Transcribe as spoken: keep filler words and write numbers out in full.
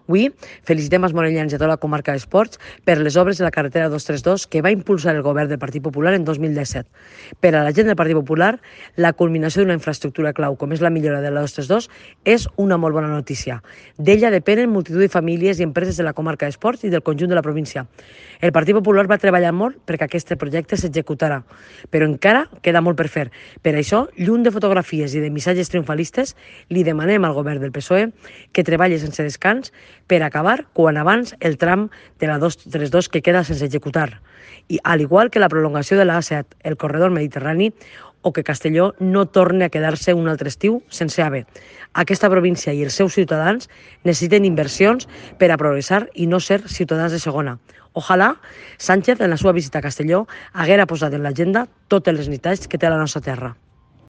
Avui felicitem els morellans i a tota la comarca d'Esports per les obres de la carretera dos trenta dos que va impulsar el govern del Partit Popular en dos mil disset. Per a la gent del Partit Popular, la culminació d'una infraestructura clau com és la millora de la dos trenta dos és una molt bona notícia. D'ella depenen multitud de famílies i empreses de la comarca d'Esports i del conjunt de la província. El Partit Popular va treballar molt perquè aquest projecte s'executara, però encara queda molt per fer. Per això, lluny de fotografies i de missatges triomfalistes, li demanem al govern del P S O E que treballi sense descans per acabar quan abans el tram de la dos trenta dos que queda sense executar, i al igual que la prolongació de l'A set, el corredor mediterrani, o que Castelló no torni a quedar-se un altre estiu sense A V E. Aquesta província i els seus ciutadans necessiten inversions per a progressar i no ser ciutadans de segona. Ojalà Sánchez, en la seva visita a Castelló, haguera posat en l'agenda totes les necessitats que té la nostra terra.